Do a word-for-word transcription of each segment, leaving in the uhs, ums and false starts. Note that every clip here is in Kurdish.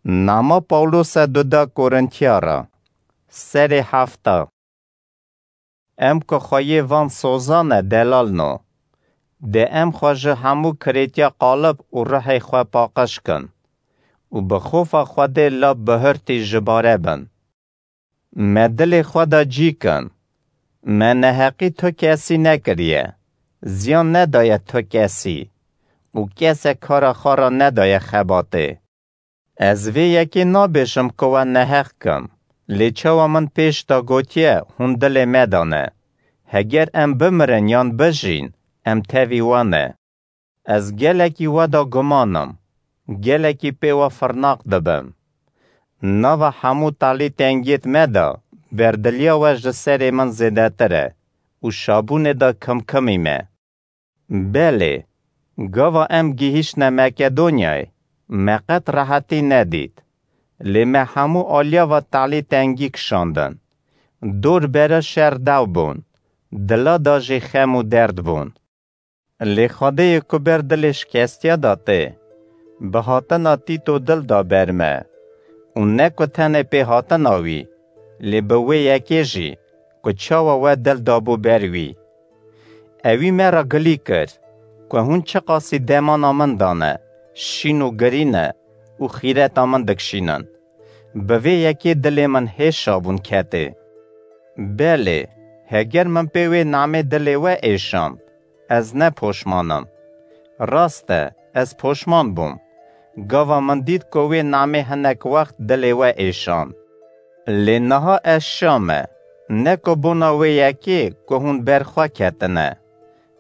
Nama Pawlose duda Korintiyara. Serê hefta. Em ku xweyê van sozan e, delal no. Dê em xwe ji hemû kirêtiya qalib û ruhê xwe paqij kin û bi xofa Xwedê lab bihurtî ji bare bin. Me dilê xwe de cî kin. Me neheqî tu kesî nekiriye, ziyan nedaye tu kesî û kesek kara xwe re nedaye xebatê. Ez vê yekê nabêjim ku we neheq kim, lê çawa min pêş de gotiye, hûn dilê me de ne. Heger em bimirin yan bijîn, em tevî we ne. Ez gelekî we de guman im, gelekî pê we firnaq dibim. Nava hemû talî tengiyêt me de, berdiliya we ji serê min zêdetir e û şabûnê de kimkimî me. Belê, gava em gihîştine Makedonyayê, me qet rehetî nedît. Lê me hemû aliya ve talî tengî kişandin. Dor bere şer dew bûn, dila de jî xem û derd bûn. Lê Xwedêyê ku ber dilê şikestiya da tê, bi hatina Tîto dil da ber me. Û ne ku tenê pê hatina wî, lê bi wê yekê jî, ku çawa we dil dabû ber wî. Ewî me re gilî kir, ku hûn çiqasî demana min dane, şîn û girî ne û xîreta min dikişînin. Bi vê yekê dilê min hê şabûn ketê. Belê, heger min pê wê namê dilê we êşand, ez ne poşman im. Rast e, ez poşman bûm. Gava min dît ku wê namê hinek wext dilê we êşand. Lê niha ez şa me, ne ku bona wê yekê ku hûn ber xwe ketine,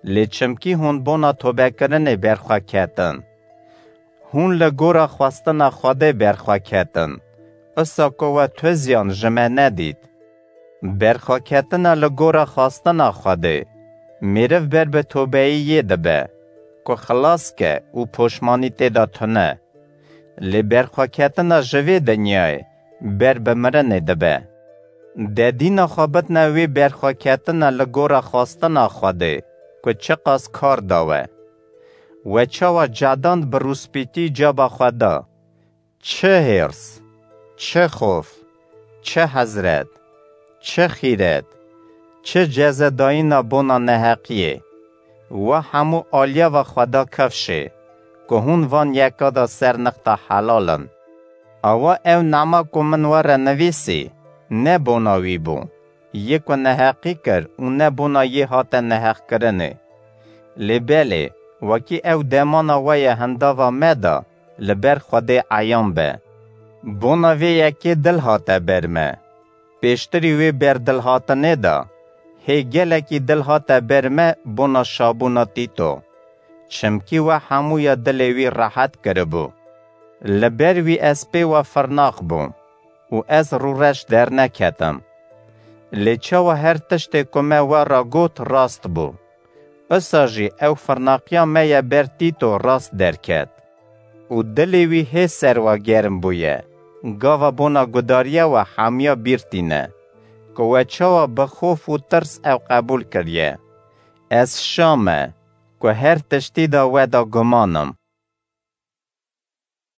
lê çimkî hûn bona tobekirinê ber xwe ketin. Hûn li gora xwestina Xwedê ber xwe ketin, isa ku we tu ziyan ji me nedît. Berxweketina li gora xwestina Xwedê, mêriv ber bi tobeyî yê dibe, ku xilas ke û poşmanî tê de tune. Lê berxweketina ji vê dinyayê ber bi mirinê dibe. De dîna xwe bidine wê berxweketina li gora xwestina Xwedê, ku çiqas kar da we. We çawa cedand bi rûspîtî caba xwe da. Çi hêrs, çi xof, çi hezret, çi xîret, çi cezedayîna bona neheqiyê. We hemû aliya ve xwe da kifşê, ku hûn van yeka de ser nixta helal in. Awa ew nama ku min we re nivîsî, ne bona wî bû, yê ku neheqî kir û ne bona yê hate neheqkirinê. Lê belê, wekî ew demana we ye hindava me de, li ber Xwedê eyan be. Bona vê yekê dil hate ber me. Pêştirî wê berdilhatinê de, hê gelekî dil hate ber me bona şabûna Tîto. Çimkî we hemûya dilê wî rehet kiribû. Li ber wî ez pê we firnaq bûm û ez rûreş derneketim. Lê çawa her tiştê ku me we re got rast bû. Isa jî ew firnaqiya me ye ber Tîto rast derket. Û dilê wî hê ser we germ bûye, gava bona gudariya we hemiya bîr tîne, ku we çawa bi xof û tirs ew qebûl kiriye. Ez şa me, ku her tiştî de we de guman im.